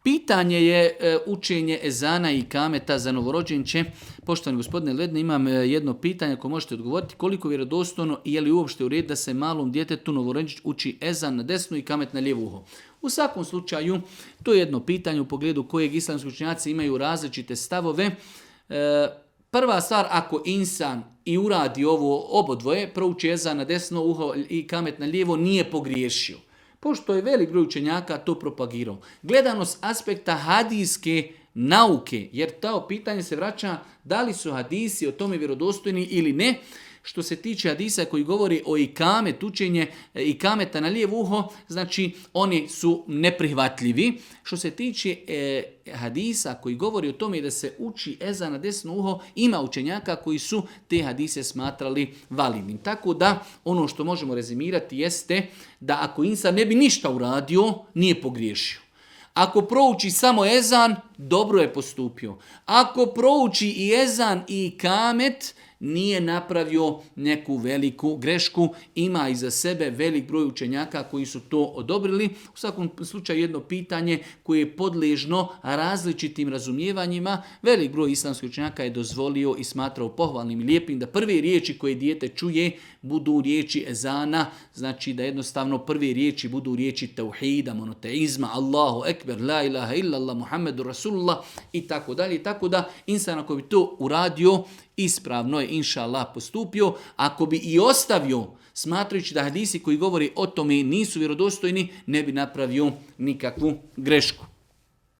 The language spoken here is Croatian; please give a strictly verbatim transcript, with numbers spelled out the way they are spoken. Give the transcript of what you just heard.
Pitanje je e, učenje ezana i kameta za novorođenče. Poštovani gospodine Ledne, imam e, jedno pitanje ako možete odgovoriti. Koliko vjerodostojno i je li uopšte u redu da se malom djetetu novorođenč uči ezan na desno i kamet na lijevo uho? U svakom slučaju, to je jedno pitanje u pogledu kojeg islamski učenjaci imaju različite stavove. E, prva stvar, ako insan i uradi ovo obodvoje, prouči ezan na desno uho i kamet na lijevo, nije pogriješio. Pošto je velik broj učenjaka to propagirao. Gledano s aspekta hadijske nauke, jer to pitanje se vraća da li su hadisi o tome vjerodostojni ili ne. Što se tiče hadisa koji govori o ikamet, učenje ikameta na lijevo uho, znači oni su neprihvatljivi. Što se tiče e, hadisa koji govori o tome da se uči ezan na desno uho, ima učenjaka koji su te hadise smatrali validnim. Tako da ono što možemo rezimirati jeste da ako insan ne bi ništa uradio, nije pogriješio. Ako prouči samo ezan, dobro je postupio. Ako prouči i ezan i ikamet, nije napravio neku veliku grešku, ima iza sebe velik broj učenjaka koji su to odobrili. U svakom slučaju jedno pitanje koje je podležno različitim razumijevanjima. Velik broj islamskih učenjaka je dozvolio i smatrao pohvalnim i lijepim da prve riječi koje dijete čuje budu riječi ezana, znači da jednostavno prve riječi budu riječi tauhida, monoteizma, Allahu ekber, la ilaha illallah, Muhammedu Rasulullah i tako dalje. Tako da insan ako bi to uradio, ispravno je inša Allah postupio. Ako bi i ostavio, smatrajući da hadisi koji govori o tome nisu vjerodostojni, ne bi napravio nikakvu grešku.